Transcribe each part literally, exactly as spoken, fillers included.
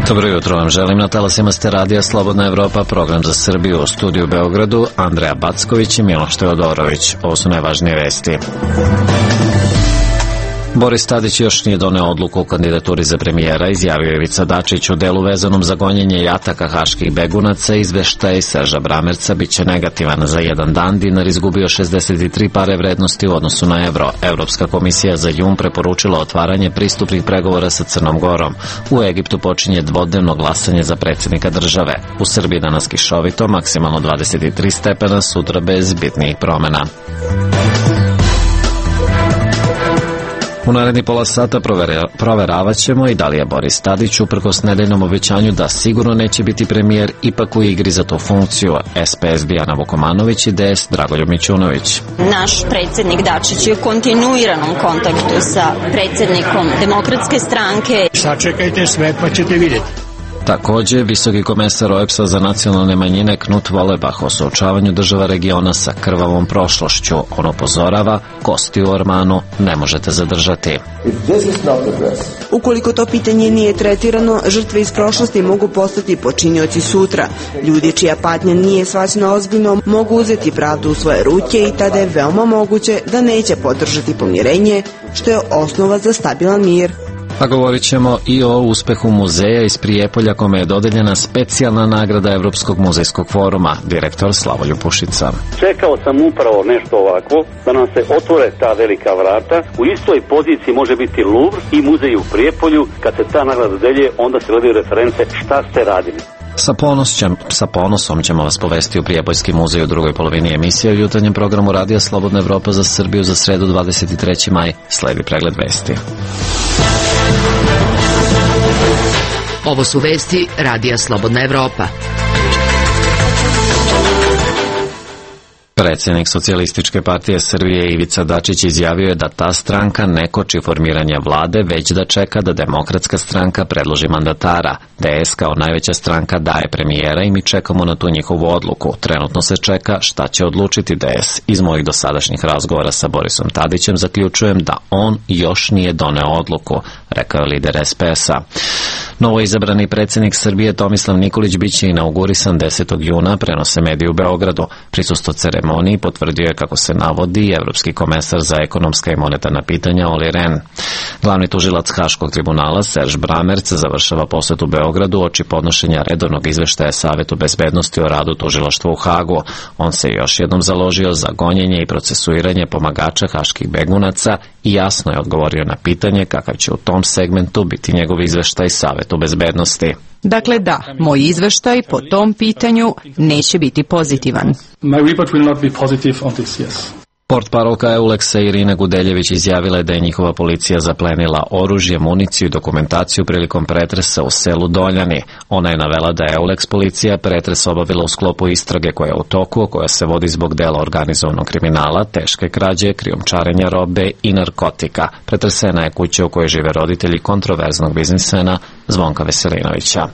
Dobro jutro vam želim, na talasima ste radija Slobodna Evropa, program za Srbiju, u studiju u Beogradu, Andreja Backović i Miloš Teodorović. Ovo su najvažnije vesti. Boris Tadić još nije doneo odluku o kandidaturi za premijera, izjavio je Ivica Dačić. U delu vezanom za gonjenje i ataka haških begunaca, izveštaj Serža Bramerca biće negativan. Za jedan dan dinar izgubio šezdeset tri pare vrednosti u odnosu na evro. Evropska komisija za jun preporučila otvaranje pristupnih pregovora sa Crnom Gorom. U Egiptu počinje dvodnevno glasanje za predsjednika države. U Srbiji danas kišovito, maksimalno dvadeset tri stepena, sutra bez bitnijih promena. U naredni pola sata proveravat ćemo i da li je Boris Tadić, uprkos nedeljnom obećanju da sigurno neće biti premijer, ipak u igri za tu funkciju. S P S Dijana Vukomanović i D S Dragoljub Mićunović. Naš predsjednik Dačić je u kontinuiranom kontaktu sa predsjednikom Demokratske stranke. Sačekajte sve pa ćete vidjeti. Također, visoki komesar O E B S-a za nacionalne manjine Knut Vollebach o suočavanju država regiona sa krvavom prošlošću. On upozorava, kosti u ormanu ne možete zadržati. Ukoliko to pitanje nije tretirano, žrtve iz prošlosti mogu postati počinioci sutra. Ljudi čija patnja nije shvaćena ozbiljno mogu uzeti pravdu u svoje ruke i tada je veoma moguće da neće podržati pomirenje, što je osnova za stabilan mir. A govorit ćemo i o uspehu muzeja iz Prijepolja, kome je dodeljena specijalna nagrada Evropskog muzejskog foruma, direktor Slavoljub Pušica. Čekao sam upravo nešto ovako, da nam se otvore ta velika vrata. U istoj poziciji može biti Louvre i muzej u Prijepolju. Kad se ta nagrada dodeljuje, onda se gledaju reference šta ste radili. Sa, ponosom, sa ponosom ćemo vas povesti u Prijepoljski muzej u drugoj polovini emisije u jutarnjem programu Radija Slobodna Evropa za Srbiju za sredu dvadeset treći maj. Sledi pregled vesti. Ovo su vesti Radija Slobodna Evropa. Predsjednik Socijalističke partije Srbije Ivica Dačić izjavio je da ta stranka ne koči formiranje vlade, već da čeka da Demokratska stranka predloži mandatara. D S kao najveća stranka daje premijera i mi čekamo na tu njihovu odluku. Trenutno se čeka šta će odlučiti D S. Iz mojih dosadašnjih razgovora sa Borisom Tadićem zaključujem da on još nije doneo odluku, rekao je lider S P S-a. Novo izabrani predsjednik Srbije Tomislav Nikolić biće inaugurisan desetog juna, prenose mediji u Beogradu. Prisustvo ceremoniji potvrdio je, kako se navodi, evropski komesar za ekonomska i monetarna pitanja Olli Rehn. Glavni tužilac Haškog tribunala Serž Bramerc završava posjet u Beogradu oči podnošenja redovnog izveštaja Savetu bezbednosti o radu tužilaštva u Hagu. On se još jednom založio za gonjenje i procesuiranje pomagača haških begunaca i jasno je odgovorio na pitanje kakav će u tom segmentu biti njegov izveštaj Savetu bezbednosti. Dakle da, moj izveštaj po tom pitanju neće biti pozitivan. My report will not be positive on this, yes. Portparolka Euleksa Irina Gudeljević izjavila je da je njihova policija zaplenila oružje, municiju i dokumentaciju prilikom pretresa u selu Doljani. Ona je navela da je Euleks policija pretres obavila u sklopu istrage koja je u toku, koja se vodi zbog dela organizovanog kriminala, teške krađe, krijumčarenja robe i narkotika. Pretresena je kuća u kojoj žive roditelji kontroverznog biznismena Zvonka Veselinovića.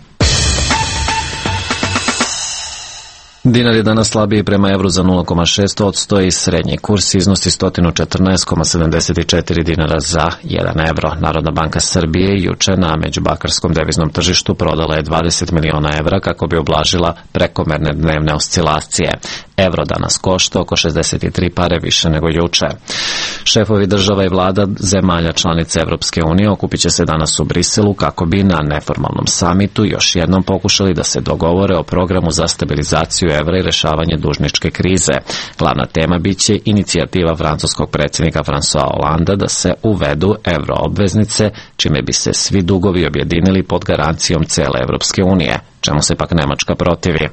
Dinar je danas slabiji prema evru za nula zarez šest posto i srednji kurs iznosi sto četrnaest zarez sedamdeset četiri dinara za jedan evro. Narodna banka Srbije juče na međubakarskom deviznom tržištu prodala je dvadeset miliona evra kako bi ublažila prekomerne dnevne oscilacije. Evro danas košta oko šezdeset tri pare više nego juče. Šefovi država i vlada zemalja članice Evropske unije okupit će se danas u Briselu kako bi na neformalnom samitu još jednom pokušali da se dogovore o programu za stabilizaciju evra i rešavanje dužničke krize. Glavna tema biće inicijativa francuskog predsjednika François Hollanda da se uvedu evroobveznice, čime bi se svi dugovi objedinili pod garancijom cele Evropske unije, čemu se pak Nemačka protivi.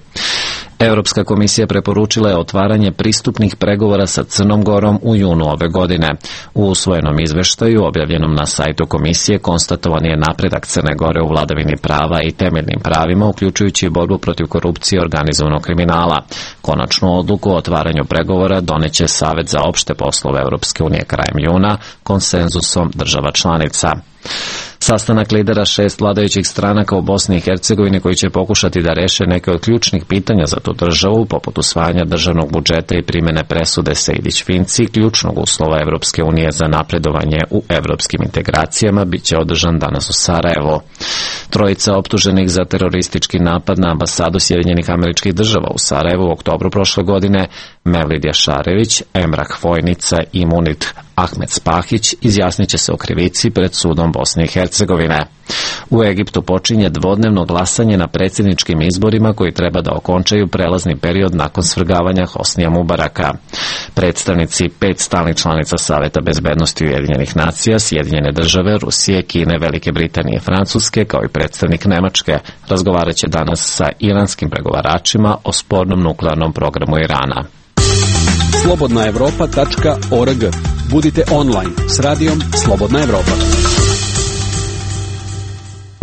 Evropska komisija preporučila je otvaranje pristupnih pregovora sa Crnom Gorom u junu ove godine. U usvojenom izveštaju, objavljenom na sajtu komisije, konstatovan je napredak Crne Gore u vladavini prava i temeljnim pravima, uključujući borbu protiv korupcije i organizovanog kriminala. Konačnu odluku o otvaranju pregovora doneće Savet za opšte poslove Evropske unije krajem juna konsenzusom država članica. Sastanak lidera šest vladajućih stranaka u Bosni i Hercegovini koji će pokušati da reše neke od ključnih pitanja za tu državu, poput usvajanja državnog budžeta i primene presude Sejdić-Finci, ključnog uslova Evropske unije za napredovanje u evropskim integracijama, bit će održan danas u Sarajevu. Trojica optuženih za teroristički napad na ambasadu Sjedinjenih Američkih Država u Sarajevu u oktobru prošle godine, Mevlid Jašarević, Emrah Vojnica i Munit Ahmed Spahić, izjasnit će se o krivici pred sudom Bosne i Hercegovine. U Egiptu počinje dvodnevno glasanje na predsjedničkim izborima koji treba da okončaju prelazni period nakon svrgavanja Hosnija Mubaraka. Predstavnici pet stalnih članica Saveta bezbednosti Ujedinjenih nacija, Sjedinjene države, Rusije, Kine, Velike Britanije i Francuske, kao i predstavnik Nemačke, razgovarat će danas sa iranskim pregovaračima o spornom nuklearnom programu Irana. slobodna evropa tačka org. Budite online s radijom Slobodna Evropa.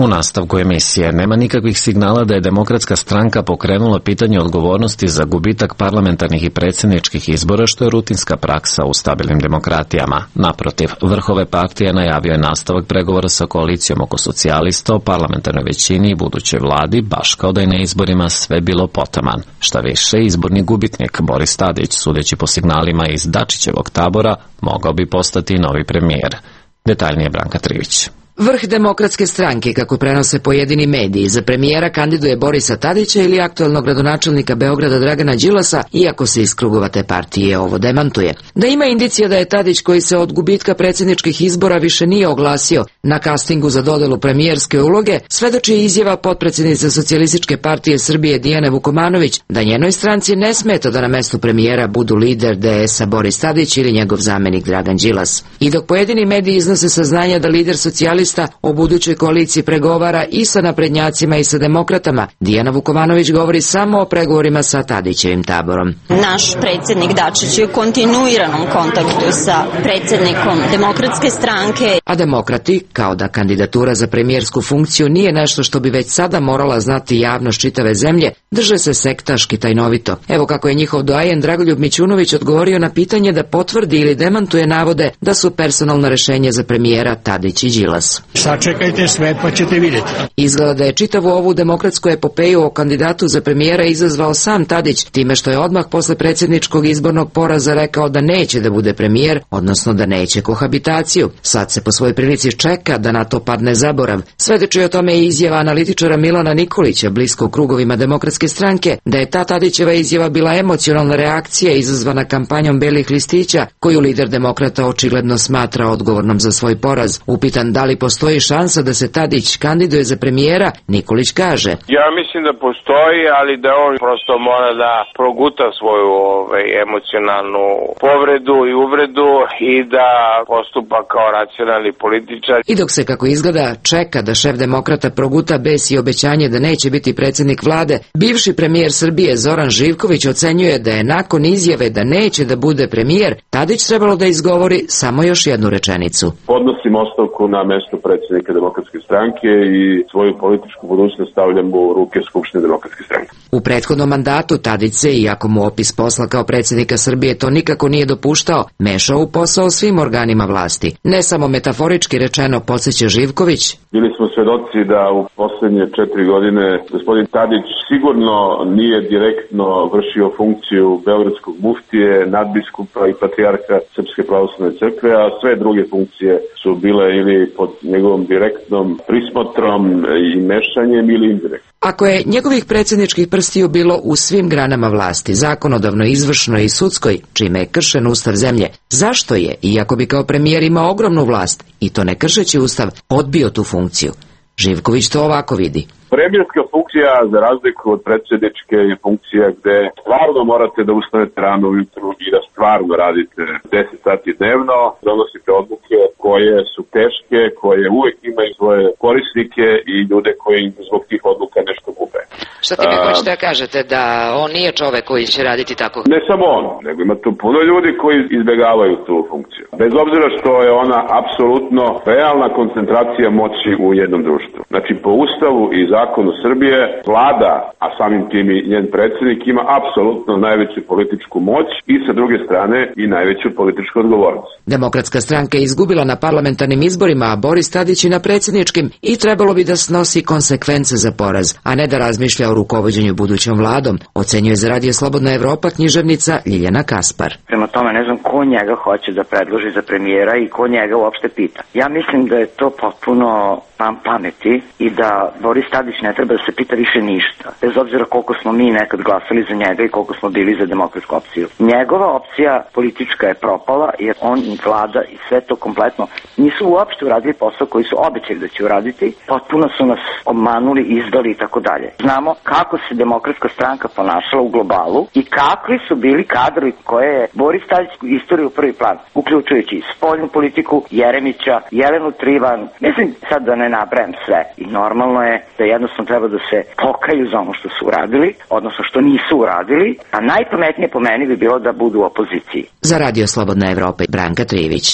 U nastavku emisije nema nikakvih signala da je Demokratska stranka pokrenula pitanje odgovornosti za gubitak parlamentarnih i predsjedničkih izbora, što je rutinska praksa u stabilnim demokratijama. Naprotiv, vrh ove partije najavio je nastavak pregovora sa koalicijom oko socijalista o parlamentarnoj većini i budućoj vladi, baš kao da je na izborima sve bilo potaman. Šta više, izborni gubitnik Boris Tadić, sudeći po signalima iz Dačićevog tabora, mogao bi postati novi premijer. Detaljnije Branka Trivić. Vrh Demokratske stranke, kako prenose pojedini mediji, za premijera kandiduje Borisa Tadića ili aktuelnog gradonačelnika Beograda Dragana Đilasa, iako se iz krugova te partije ovo demantuje. Da ima indicija da je Tadić, koji se od gubitka predsjedničkih izbora više nije oglasio na kastingu za dodelu premijerske uloge, svedoči izjava potpredsjednice Socijalističke partije Srbije Dijane Vukomanović da njenoj stranci ne smeta da na mestu premijera budu lider D S-a Boris Tadić ili njegov zamenik Dragan Đilas. I dok pojedini mediji iznose saznanja da lider socijalista o budućoj koaliciji pregovara i sa naprednjacima i sa demokratama, Dijana Vukomanović govori samo o pregovorima sa Tadićevim taborom. Naš predsjednik Dačić je u kontinuiranom kontaktu sa predsjednikom Demokratske stranke. A demokrati, kao da kandidatura za premijersku funkciju nije nešto što bi već sada morala znati javnost čitave zemlje, drže se sektaški tajnovito. Evo kako je njihov doajen Dragoljub Mićunović odgovorio na pitanje da potvrdi ili demantuje navode da su personalno rešenje za premijera Tadić i Đilas. Sačekajte sve pa ćete vidjeti. Izgleda da je čitavu ovu demokratsku epopeju o kandidatu za premijera izazvao sam Tadić, time što je odmah posle predsjedničkog izbornog poraza rekao da neće da bude premijer, odnosno da neće kohabitaciju. Sad se po svojoj prilici čeka da na to padne zaborav. Svedoči o tome i izjava analitičara Milana Nikolića, blisko u krugovima Demokratske stranke, da je ta Tadićeva izjava bila emocionalna reakcija izazvana kampanjom belih listića, koju lider demokrata očigledno smatra odgovornom za svoj poraz. Upitan da li postoji šansa da se Tadić kandiduje za premijera, Nikolić kaže: Ja mislim da postoji, ali da on prosto mora da proguta svoju ovaj, emocionalnu povredu i uvredu i da postupa kao racionalni političar. I dok se, kako izgleda, čeka da šef demokrata proguta bes i obećanje da neće biti predsjednik vlade, bivši premijer Srbije Zoran Živković ocenjuje da je nakon izjave da neće da bude premijer, Tadić trebalo da izgovori samo još jednu rečenicu. Podnosim ostavku na mesto predsjednika Demokratske stranke i svoju političku budućnost stavljam u ruke Skupštine Demokratske stranke. U prethodnom mandatu Tadić se, iako mu opis posla kao predsjednika Srbije to nikako nije dopuštao, mešao u posao svim organima vlasti. Ne samo metaforički rečeno, podsjeća Živković. Bili smo svedoci da u posljednje četiri godine gospodin Tadić sigurno nije direktno vršio funkciju beogradskog muftije, nadbiskupa i patrijarha Srpske pravoslavne crkve, a sve druge funkcije su bile ili pod njegovom direktnom prismotrom i mešanjem ili indirektno. Ako je njegovih predsjedničkih prstiju bilo u svim granama vlasti, zakonodavno, izvršnoj i sudskoj, čime je kršen ustav zemlje, zašto je, iako bi kao premijer imao ogromnu vlast, i to ne kršeći ustav, odbio tu funkciju? Živković to ovako vidi. Premijerska funkcija, za razliku od predsjedničke, je funkcija gde stvarno morate da ustanete rano ujutru i da stvarno radite deset sati dnevno, donosite odluke koje su teške, koje uvek imaju svoje korisnike i ljude koji zbog tih odluka nešto gube. Šta ti mi hoćete da kažete, da on nije čovek koji će raditi tako? Ne samo on, nego ima tu puno ljudi koji izbjegavaju tu funkciju. bez obzira što je ona apsolutno realna koncentracija moći u jednom društvu. Znači, po Ustavu i zakonu Srbije, vlada, a samim tim i njen predsjednik, ima apsolutno najveću političku moć i sa druge strane i najveću političku odgovornost. Demokratska stranka je izgubila na parlamentarnim izborima, a Boris Tadić i na predsjedničkim, i trebalo bi da snosi konsekvence za poraz, a ne da razmišlja o rukovođenju budućom vladom, ocenjuje za Radio Slobodna Evropa književnica Ljiljana Kaspar. Prema tome ne znam ko njega hoće da predloži za premijera i ko njega uopšte pita. Ja mislim da je to potpuno pam pameti i da Boris Tadić ne treba da se pita više ništa, bez obzira koliko smo mi nekad glasali za njega i koliko smo bili za demokratsku opciju. Njegova opcija politička je propala jer on i vlada i sve to kompletno nisu uopšte uradili posao koji su obećali da će uraditi, potpuno su nas obmanuli, izdali i tako dalje. Znamo kako se demokratska stranka ponašala u globalu i kakvi su bili kadrovi koje je Boris Tadić istoriju u prvi plan, uključujući spoljnu politiku, Jeremića, Jelenu Trivan, mislim sad da ne nabrajam sve. I normalno je da jednostavno treba da se pokaju za ono što su uradili, odnosno što nisu uradili, a najpametnije po meni bi bilo da budu u opoziciji. Za Radio Slobodna Evropa, Branka Trivić.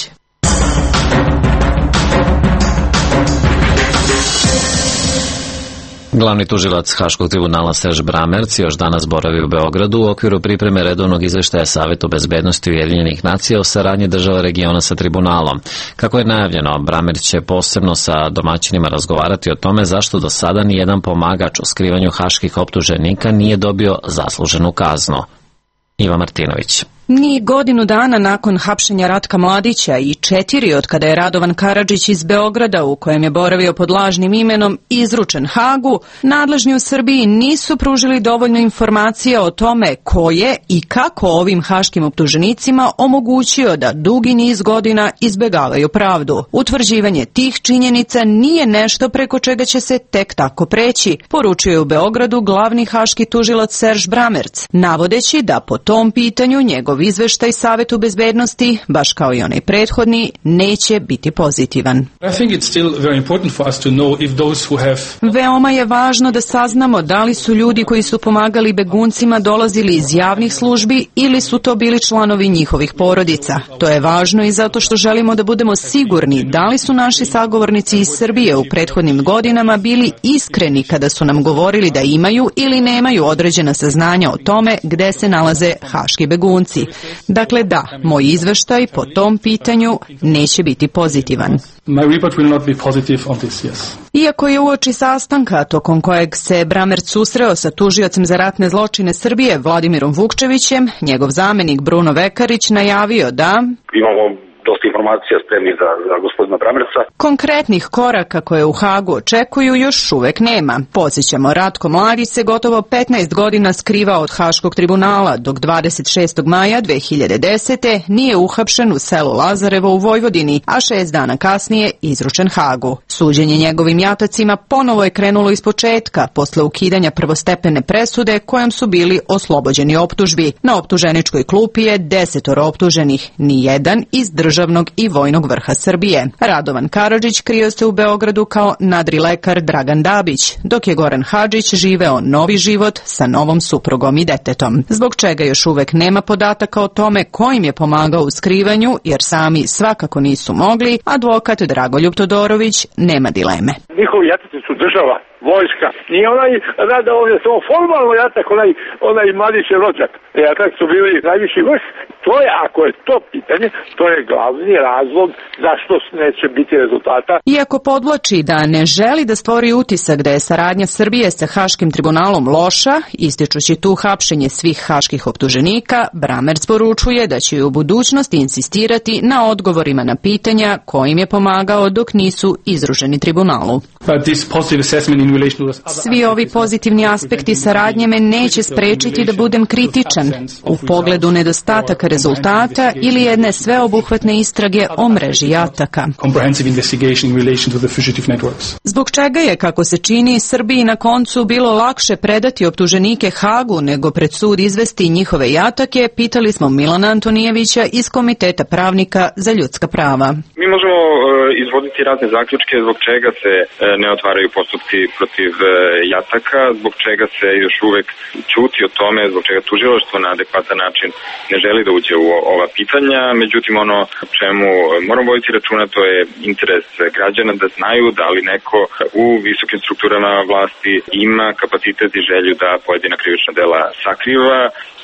Glavni tužilac Haškog tribunala Serž Bramerc još danas boravi u Beogradu u okviru pripreme redovnog izveštaja Savetu bezbednosti Ujedinjenih nacija o saradnji država regiona sa tribunalom. Kako je najavljeno, Bramerc će posebno sa domaćinima razgovarati o tome zašto do sada nijedan pomagač u skrivanju haških optuženika nije dobio zasluženu kaznu. Iva Martinović. Ni godinu dana nakon hapšenja Ratka Mladića i četiri od kada je Radovan Karadžić iz Beograda, u kojem je boravio pod lažnim imenom, izručen Hagu, nadležni u Srbiji nisu pružili dovoljno informacija o tome ko je i kako ovim haškim optuženicima omogućio da dugi niz godina izbegavaju pravdu. Utvrđivanje tih činjenica nije nešto preko čega će se tek tako preći, poručio je u Beogradu glavni haški tužilac Serž Bramerc, navodeći da po tom pitanju njegov izveštaj Savetu bezbednosti, baš kao i onaj prethodni, neće biti pozitivan. Veoma je važno da saznamo da li su ljudi koji su pomagali beguncima dolazili iz javnih službi ili su to bili članovi njihovih porodica. To je važno i zato što želimo da budemo sigurni da li su naši sagovornici iz Srbije u prethodnim godinama bili iskreni kada su nam govorili da imaju ili nemaju određena saznanja o tome gde se nalaze haški begunci. Dakle, da, moj izveštaj po tom pitanju neće biti pozitivan. Iako je uoči sastanka tokom kojeg se Bramerc susreo sa tužiocem za ratne zločine Srbije Vladimirom Vukčevićem, njegov zamenik Bruno Vekarić najavio da imamo dosta informacija spremni za, za gospodina Bramerca. Konkretnih koraka koje u Hagu očekuju još uvek nema. Podsjećamo, Ratko Mladić se gotovo petnaest godina skrivao od Haškog tribunala, dok dvadeset šestog maja dve hiljade desete. nije uhapšen u selu Lazarevo u Vojvodini, a šest dana kasnije izručen Hagu. Suđenje njegovim jatacima ponovo je krenulo iz početka, posle ukidanja prvostepene presude kojom su bili oslobođeni optužbi. Na optuženičkoj klupi je desetoro optuženih, ni jedan iz državnog i vojnog vrha Srbije. Radovan Karadžić krio se u Beogradu kao nadrilekar Dragan Dabić, dok je Goran Hadžić živeo novi život sa novom suprugom i detetom. Zbog čega još uvek nema podataka o tome ko im je pomagao u skrivanju, jer sami svakako nisu mogli, advokat Dragoljub Todorović nema dileme. Njihovi jataci su država, vojska. Nije onaj rada ovdje samo formalno jatak, onaj, onaj Mladićev rođak. Jatak su bili najviši vrh. To je, ako je to pitanje, to je glavni razlog zašto neće biti rezultata. Iako podvlači da ne želi da stvori utisak da je saradnja Srbije sa Haškim tribunalom loša, ističući tu hapšenje svih haških optuženika, Bramerc poručuje da će u budućnosti insistirati na odgovorima na pitanja kojim je pomagao dok nisu izruženi tribunalu. Svi ovi pozitivni aspekti saradnje me neće sprečiti da budem kritičan u pogledu nedostataka rezultata ili jedne sveobuhvatne istrage o mreži jataka. Zbog čega je, kako se čini, Srbiji na koncu bilo lakše predati optuženike Hagu nego pred sud izvesti njihove jatake, pitali smo Milana Antonijevića iz Komiteta pravnika za ljudska prava. Mi možemo izvoditi razne zaključke zbog čega se ne otvaraju postupci protiv jataka, zbog čega se još uvek ćuti o tome, zbog čega tužilaštvo na adekvatan način ne želi da uđe u ova pitanja. Međutim, ono čemu moramo voditi računa, to je interes građana da znaju da li neko u visokim strukturama vlasti ima kapacitet i želju da pojedina krivična dela sakriva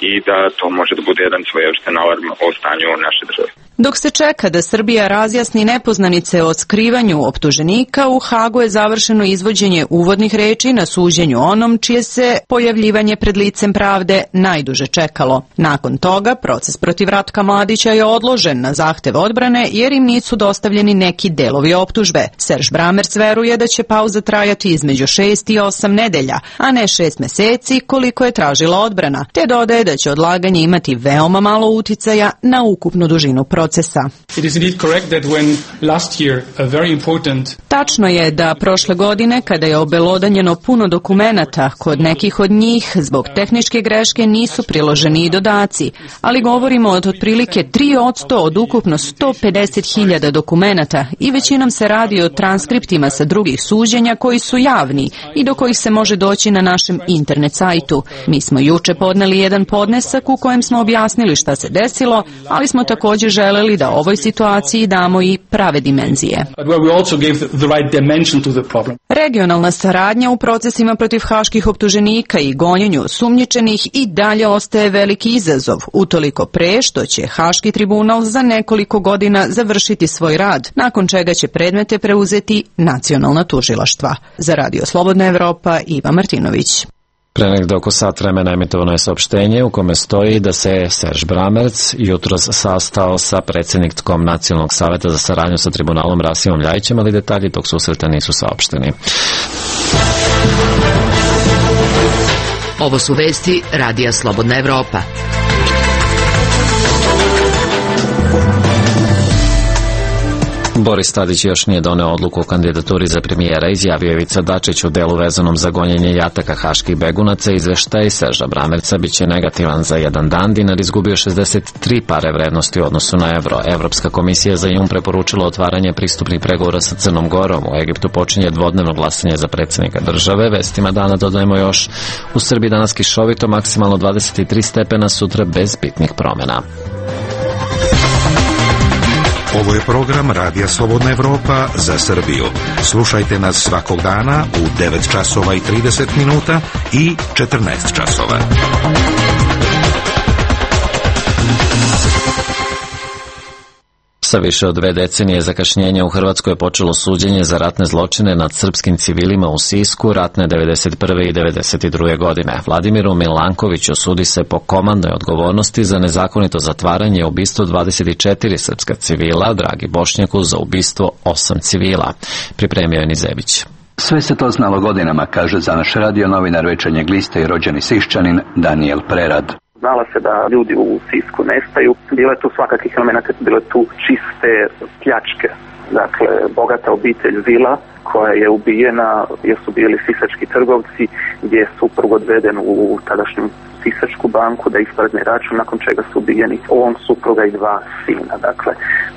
i da to može da bude jedan svojevrstan alarm o stanju naše države. Dok se čeka da Srbija razjasni nepoznanice o skrivanju optuženika, u Hagu je završeno izvođenje uvodnih reči na suđenju onom čije se pojavljivanje pred licem pravde najduže čekalo. Nakon toga, proces protiv Ratka Mladića je odložen na zahtev odbrane jer im nisu dostavljeni neki delovi optužbe. Serž Bramerc veruje da će pauza trajati između šest i osam nedelja, a ne šest meseci koliko je tražila odbrana, te dodaje da će odlaganje imati veoma malo uticaja na ukupnu dužinu procesa. It is indeed correct that when last year a very important Tačno je da prošle godine, kada je obelodanjeno puno dokumenata, kod nekih od njih zbog tehničke greške nisu priloženi i dodaci, ali govorimo od otprilike tri posto od ukupno sto pedeset hiljada dokumenata i većinom se radi o transkriptima sa drugih suđenja koji su javni i do kojih se može doći na našem internet sajtu. Mi smo juče podneli jedan podnesak u kojem smo objasnili šta se desilo, ali smo također želeli da ovoj situaciji damo i prave dimenzije. Regionalna saradnja u procesima protiv haških optuženika i gonjenju osumnjičenih i dalje ostaje veliki izazov, utoliko pre što će Haški tribunal za nekoliko godina završiti svoj rad, nakon čega će predmete preuzeti nacionalna tužilaštva. Za Radio Slobodna Evropa, Iva Martinović. Pre negde oko sat vremena emitovano je saopštenje u kome stoji da se Serž Bramerc jutros sastao sa predsjednikom Nacionalnog saveta za saradnju sa tribunalom Rasimom Ljajićem, ali detalji tog susreta nisu saopšteni. Ovo su vesti Radija Slobodna Evropa. Boris Tadić još nije doneo odluku o kandidaturi za premijera, izjavio je Ivica Dačić u delu vezanom za gonjenje jataka haških begunaca. Izveštaj Serža Bramerca biće negativan za jedan dan. Dinar izgubio šezdeset tri pare vrednosti u odnosu na evro. Evropska komisija za jun preporučila otvaranje pristupnih pregovora sa Crnom Gorom. U Egiptu počinje dvodnevno glasanje za predsjednika države. Vestima dana dodajemo još: u Srbiji danas kišovito, maksimalno dvadeset tri stepena, sutra bez bitnih promjena. Ovo je program Radija Slobodna Evropa za Srbiju. Slušajte nas svakog dana u devet časova i trideset minuta i četrnaest časova. Sa više od dve decenije zakašnjenja u Hrvatskoj je počelo suđenje za ratne zločine nad srpskim civilima u Sisku ratne devedeset prve i devedeset druge godine. Vladimiru Milankoviću sudi se po komandnoj odgovornosti za nezakonito zatvaranje i ubistvo dvadeset četiri srpska civila, Dragi Bošnjaku za ubistvo osam civila. Pripremio je Nizević. Sve se to znalo godinama, kaže za naš radio novinar Večernjeg lista i rođeni Siščanin Daniel Prerad. Znala se da ljudi u Sisku nestaju, bile tu svakakih elemenata, bile tu čiste pljačke. Dakle, bogata obitelj Vila koja je ubijena jer su bili sisački trgovci, gdje je suprug odveden u tadašnju Sisačku banku da isprazni račun, nakon čega su ubijeni on, supruga i dva sina. Dakle,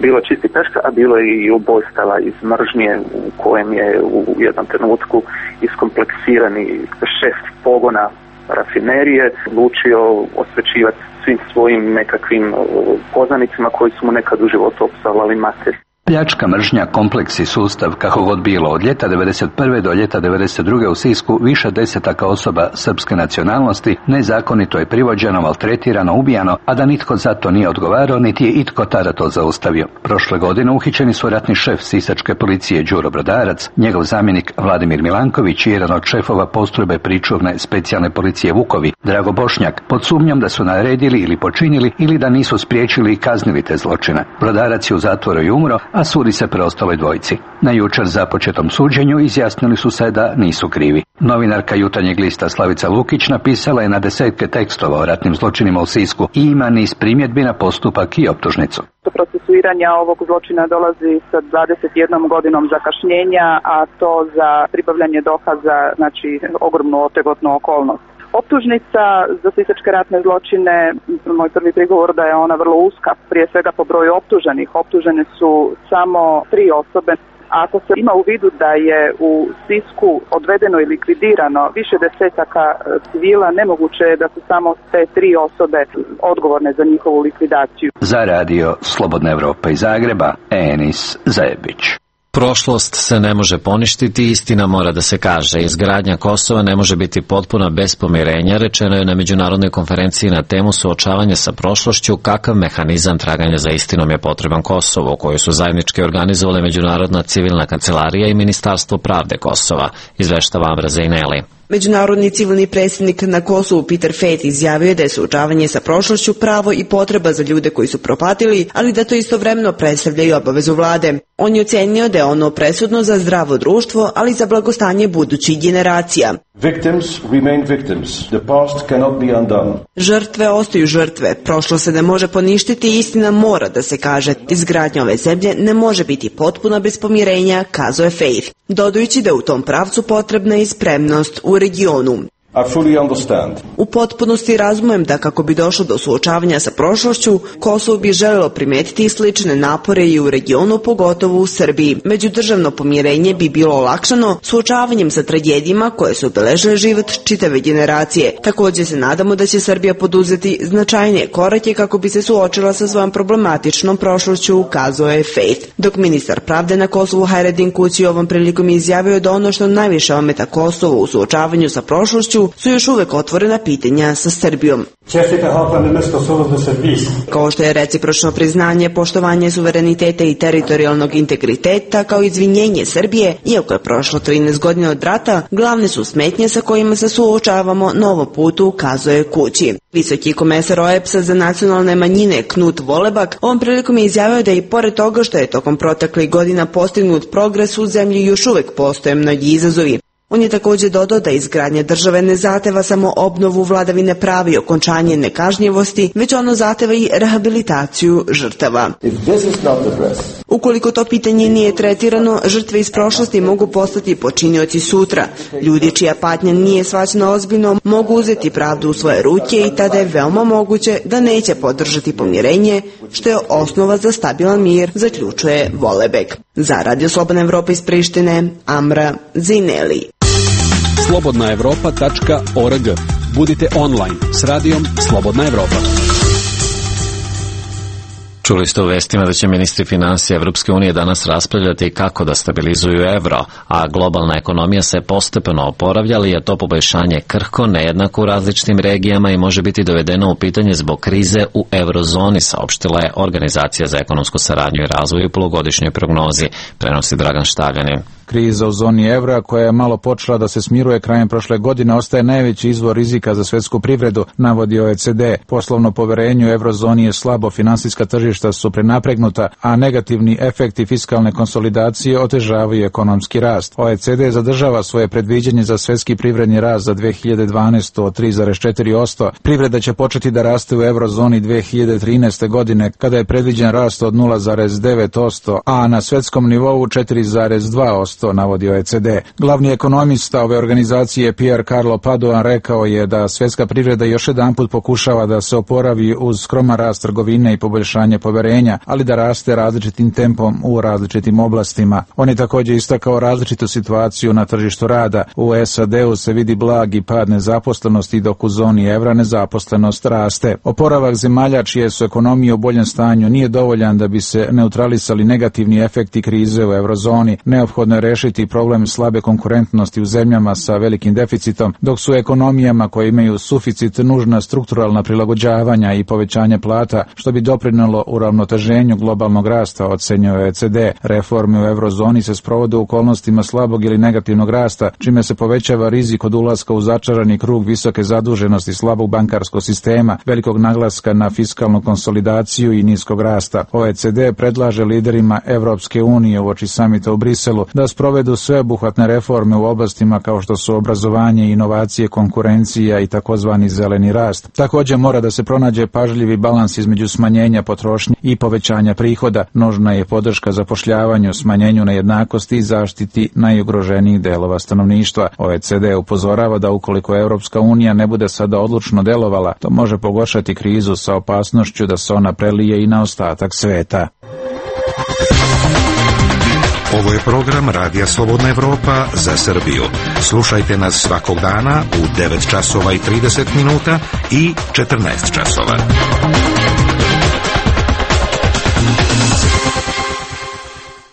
bilo čisti pljačka, a bilo je i ubojstava iz mržnje u kojem je u jednom trenutku iskompleksirani šef pogona rafinerije odlučio osvećivati svim svojim nekakvim poznanicima koji su mu nekad u životu opsovali mater. Pljačka, mržnja, kompleks i sustav, kako god bilo, od ljeta devedeset prve do ljeta devedeset druge u Sisku više desetaka osoba srpske nacionalnosti nezakonito je privođeno, maltretirano, ubijano, a da nitko za to nije odgovarao, niti je itko tada to zaustavio. Prošle godine uhićeni su ratni šef sisačke policije Đuro Brodarac, njegov zamjenik Vladimir Milanković i jedan od šefova postrojbe pričuvne specijalne policije Vukovi, Drago Bošnjak, pod sumnjom da su naredili ili počinili ili da nisu spriječili i kaznili te zločine. Brodarac je u zatvoru i umro, a sudi se preostaloj dvojici. Na jučer započetom suđenju izjasnili su se da nisu krivi. Novinarka Jutarnjeg lista Slavica Lukić napisala je na desetke tekstova o ratnim zločinima u Sisku i ima niz primjedbi na postupak i optužnicu. Do procesuiranja ovog zločina dolazi sa dvadeset jednom godinom zakašnjenja, a to za pribavljanje dokaza, znači ogromnu otegotnu okolnost. Optužnica za sisačke ratne zločine, moj prvi prigovor da je ona vrlo uska, prije svega po broju optuženih. Optužene su samo tri osobe. Ako se ima u vidu da je u Sisku odvedeno i likvidirano više desetaka civila, nemoguće je da su samo te tri osobe odgovorne za njihovu likvidaciju. Za radio Slobodna Evropa iz Zagreba, Enis Zajebić. Prošlost se ne može poništiti, istina mora da se kaže. Izgradnja Kosova ne može biti potpuna bez pomirenja, rečeno je na međunarodnoj konferenciji na temu suočavanja sa prošlošću, kakav mehanizam traganja za istinom je potreban Kosovu, koju su zajednički organizovale Međunarodna civilna kancelarija i Ministarstvo pravde Kosova, izveštava Amra Zejneli. Međunarodni civilni predsjednik na Kosovu Peter Feit izjavio je da je suočavanje sa prošlošću pravo i potreba za ljude koji su propatili, ali da to istovremeno predstavlja i obavezu vlade. On je ocenio da je ono presudno za zdravo društvo, ali i za blagostanje budućih generacija. Victims remain victims. The past cannot be undone. Žrtve ostaju žrtve. Prošlo se ne može poništiti i istina mora da se kaže. Izgradnja ove zemlje ne može biti potpuna bez pomirenja, kazao je Faith, dodajući da u tom pravcu potrebna i spremnost u regionu. I fully understand. U potpunosti razumem da kako bi došlo do suočavanja sa prošlošću, Kosovo bi želelo primetiti slične napore i u regionu, pogotovo u Srbiji. Međudržavno pomirenje bi bilo olakšano suočavanjem sa tragedijama koje su obeležile život čitave generacije. Također se nadamo da će Srbija poduzeti značajnije korake kako bi se suočila sa svojom problematičnom prošlošću, ukazao je Faith. Dok ministar pravde na Kosovu Hajredin Kući ovom prilikom izjavio da ono što najviše ometa Kosovo u suočavanju sa prošlošću su još uvek otvorena pitanja sa Srbijom. Kao što je recipročno priznanje, poštovanje suvereniteta i teritorijalnog integriteta kao izvinjenje Srbije, iako je prošlo trinaest godina od rata, glavne su smetnje sa kojima se suočavamo na ovom putu, ukazuje Kući. Visoki komesar O E B S-a za nacionalne manjine Knut Volebak ovom prilikom je izjavio da i pored toga što je tokom proteklih godina postignut progres u zemlji još uvek postoje mnogi izazovi. On je također dodao da izgradnja države ne zahteva samo obnovu vladavine prava i okončanje nekažnjivosti, već ono zahteva i rehabilitaciju žrtava. Ukoliko to pitanje nije tretirano, žrtve iz prošlosti mogu postati počinioci sutra. Ljudi čija patnja nije shvaćena ozbiljno mogu uzeti pravdu u svoje ruke i tada je veoma moguće da neće podržati pomirenje, što je osnova za stabilan mir, zaključuje Volebek. Za Radio Slobodna Evropa iz Prištine, Amra Zineli. slobodna evropa tačka org. Budite online s radijom Slobodna Evropa. Čuli ste u vestima da će ministri finansija Evropske unije danas raspravljati kako da stabilizuju evro, a globalna ekonomija se postepeno oporavlja, ali je to poboljšanje krhko, nejednako u različitim regijama i može biti dovedeno u pitanje zbog krize u eurozoni, saopštila je Organizacija za ekonomsku saradnju i razvoj u polugodišnjoj prognozi, prenosi Dragan Štavljanin. Kriza u zoni evra, koja je malo počela da se smiruje krajem prošle godine, ostaje najveći izvor rizika za svetsku privredu, navodi O E C D. Poslovno poverenje u eurozoni je slabo, finansijska tržišta su prenapregnuta, a negativni efekti fiskalne konsolidacije otežavaju ekonomski rast. O E C D zadržava svoje predviđanje za svetski privredni rast za dve hiljade dvanaestu od tri zarez četiri posto. Privreda će početi da raste u eurozoni dve hiljade trinaeste. godine, kada je predviđen rast od nula zarez devet posto, a na svetskom nivou četiri zarez dva posto. Navodi O E C D. Glavni ekonomista ove organizacije Pier Carlo Padoan rekao je da svjetska privreda još jedanput pokušava da se oporavi uz skroman rast trgovine i poboljšanje poverenja, ali da raste različitim tempom u različitim oblastima. On je također istakao različitu situaciju na tržištu rada. U S A D-u se vidi blagi pad nezaposlenosti, dok u zoni evra nezaposlenost raste. Oporavak zemalja čije su ekonomije u boljem stanju nije dovoljan da bi se neutralisali negativni efekti krize u eurozoni. Neophodno je rešiti problem slabe konkurentnosti u zemljama sa velikim deficitom, dok su ekonomijama koje imaju suficit nužna strukturalna prilagođavanja i povećanje plata, što bi doprinelo uravnoteženju globalnog rasta, ocenjuje O E C D. Reforme u eurozoni se sprovode u okolnostima slabog ili negativnog rasta, čime se povećava rizik od ulaska u začarani krug visoke zaduženosti, slabog bankarskog sistema, velikog naglaska na fiskalnu konsolidaciju i niskog rasta. O E C D predlaže liderima Evropske unije uoči samita u Briselu da sprovedu sveobuhvatne reforme u oblastima kao što su obrazovanje, inovacije, konkurencija i takozvani zeleni rast. Također mora da se pronađe pažljivi balans između smanjenja potrošnje i povećanja prihoda. Nužna je podrška zapošljavanju, smanjenju nejednakosti i zaštiti najugroženijih delova stanovništva. O E C D upozorava da ukoliko Europska unija ne bude sada odlučno delovala, to može pogoršati krizu sa opasnošću da se ona prelije i na ostatak sveta. Ovo je program Radija Slobodna Evropa za Srbiju. Slušajte nas svakog dana u devet časova i trideset minuta i četrnaest časova.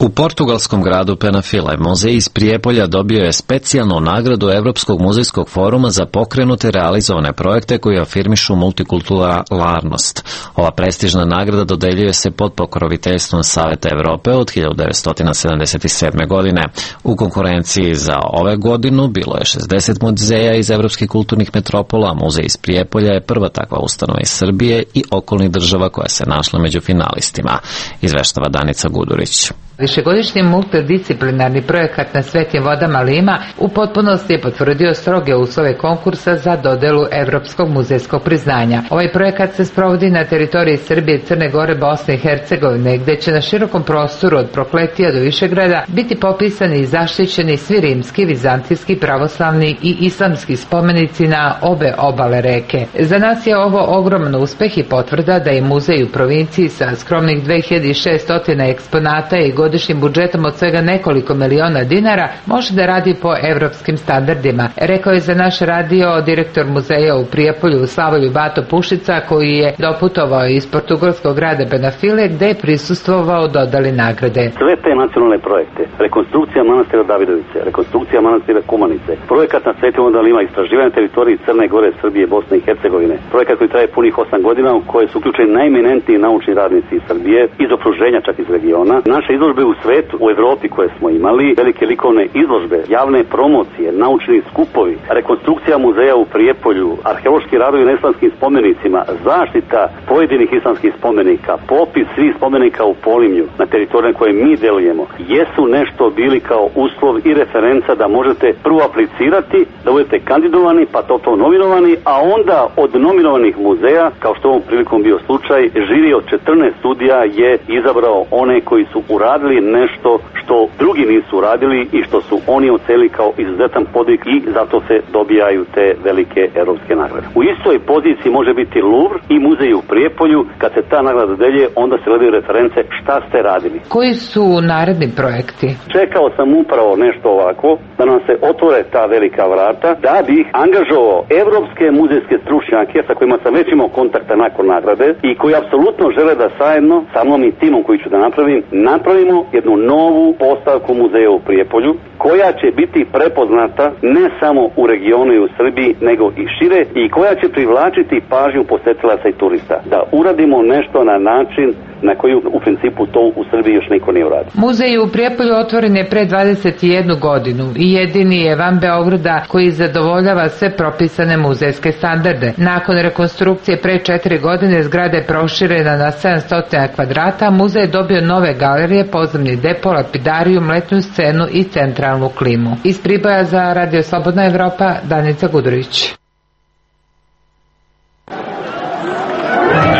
U portugalskom gradu Penafila muzej iz Prijepolja dobio je specijalnu nagradu Evropskog muzejskog foruma za pokrenute realizovane projekte koji afirmišu multikulturalnost. Ova prestižna nagrada dodeljuje se pod pokroviteljstvom Saveta Evrope od hiljadu devetsto sedamdeset sedme. godine. U konkurenciji za ove godinu bilo je šezdeset muzeja iz evropskih kulturnih metropola, a muzej iz Prijepolja je prva takva ustanova iz Srbije i okolnih država koja se našla među finalistima, izveštava Danica Gudurić. Višegodišnji multidisciplinarni projekat Na svetim vodama Lima u potpunosti je potvrdio stroge uslove konkursa za dodelu Evropskog muzejskog priznanja. Ovaj projekat se sprovodi na teritoriji Srbije, Crne Gore, Bosne i Hercegovine, gde će na širokom prostoru od Prokletija do Višegrada biti popisani i zaštićeni svi rimski, vizantijski, pravoslavni i islamski spomenici na obe obale reke. Za nas je ovo ogroman uspeh i potvrda da je muzej u provinciji sa skromnih dve hiljade šesto eksponata i godišnjim budžetom od svega nekoliko miliona dinara može da radi po evropskim standardima, rekao je za naš radio direktor muzeja u Prijepolju Slavoljub Bato Pušica, koji je doputovao iz portugalskog grada Benafile, gde je prisustvovao dodali nagrade. Sve te nacionalne projekte, rekonstrukcija manastira Davidovice, rekonstrukcija manastira Kumanice, projekat Na svetim vodama Lima, istraživanje teritoriji Crne Gore, Srbije, Bosne i Hercegovine, projekat koji traje punih osam godina u koje su uključeni najeminentniji naučni radnici iz Srbije, iz okruženja čak iz regiona. Naše izložbe u svetu, u Evropi koje smo imali, velike likovne izložbe, javne promocije, naučni skupovi, rekonstrukcija muzeja u Prijepolju, arheološki radovi na islamskim spomenicima, zaštita pojedinih islamskih spomenika, popis svih spomenika u Polimlju na teritoriju koje mi delujemo, jesu nešto bili kao uslov i referenca da možete prvo aplicirati, da budete kandidovani, pa to to nominovani, a onda od nominovanih muzeja, kao što ovom prilikom bio slučaj, žiri od četrnaest studija je izabrao one koji su uradili nešto što drugi nisu uradili i što su oni ocenili kao izuzetan podvig i zato se dobijaju te velike evropske nagrade. U istoj poziciji može biti Louvre i muzej u Prijepolju. Kad se ta nagrada dodeljuje, onda se gledaju reference šta ste radili. Koji su naredni projekti? Čekao sam upravo nešto ovako, da nam se otvore ta velika vrata, da bih angažovao evropske muzejske stručnjake sa kojima sam već imao kontakta nakon nagrade i koji apsolutno žele da zajedno sa mnom i timom koji ću da napravim, napravimo jednu novu postavku muzeja u Prijepolju, koja će biti prepoznata ne samo u regionu i u Srbiji, nego i šire i koja će privlačiti pažnju posetilaca i turista. Da uradimo nešto na način na koji u principu to u Srbiji još niko nije uradio. Muzej u Prijepolju otvoren je pre dvadeset jednu godinu i jedini je van Beograda koji zadovoljava sve propisane muzejske standarde. Nakon rekonstrukcije pre četiri godine zgrada je proširena na sedamsto kvadrata, muzej je dobio nove galerije, podzemni depo, lapidariju, letnju scenu i centralnu klimu. Iz Priboja za Radio Slobodna Evropa, Danica Gudurić.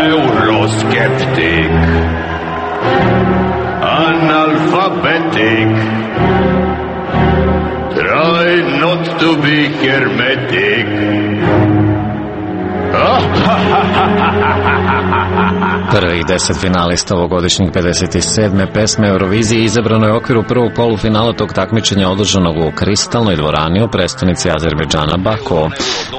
Euroskeptik, analphabetic, try not to be hermetic. Prvih deset finalista ovogodišnjih pedeset sedme pesme Eurovizije izabrano je u okviru prvog polufinala tog takmičenja održanog u Kristalnoj dvorani u prestonici Azerbejdžana Baku.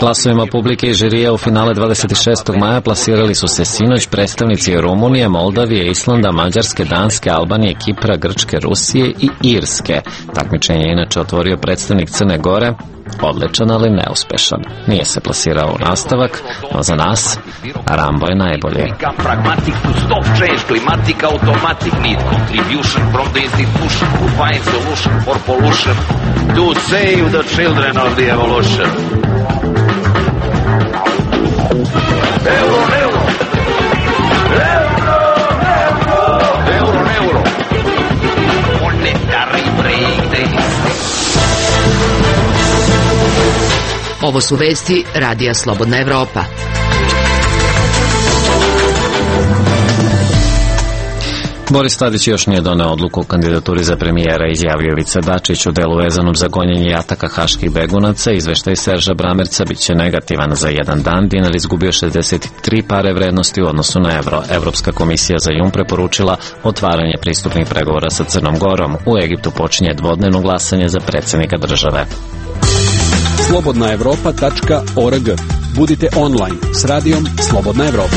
Glasovima publike i žirija u finale dvadeset šestog maja plasirali su se sinoć predstavnici Rumunije, Moldavije, Islanda, Mađarske, Danske, Albanije, Kipra, Grčke, Rusije i Irske. Takmičenje je inače otvorio predstavnik Crne Gore, odličan ali neuspešan. Nije se plasirao u nastavak, no za nas Rambo je najbolji. Pragmatic to stop change, climatic automatic need contribution from the institution to find solution for pollution to save the children of the evolution. Euro, euro, euro, euro, euro, euro, monetary break, Ovo su vesti Radija Slobodna Evropa. Boris Tadić još nije doneo odluku o kandidaturi za premijera, izjavio Ivica Dačić u delu vezanom za gonjenje i ataka haških begunaca. Izveštaj Serža Bramerca biće negativan. Za jedan dan dinar izgubio šezdeset tri pare vrednosti u odnosu na evro. Evropska komisija za jun preporučila otvaranje pristupnih pregovora sa Crnom Gorom. U Egiptu počinje dvodnevno glasanje za predsjednika države. slobodna evropa tačka org. Budite online s radijom Slobodna Evropa.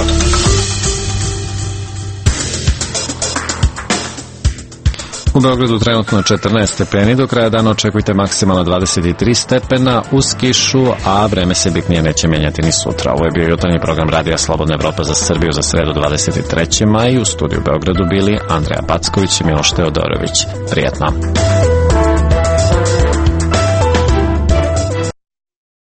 U Beogradu trenutno četrnaest stepeni, do kraja dana očekujte maksimalno dvadeset tri stepena uz kišu, a vreme se bitnije neće mijenjati ni sutra. Ovo je bio jutarnji program Radija Slobodna Evropa za Srbiju za sredu dvadeset trećeg maja. U studiju u Beogradu bili Andreja Packović i Miloš Teodorović. Prijetno!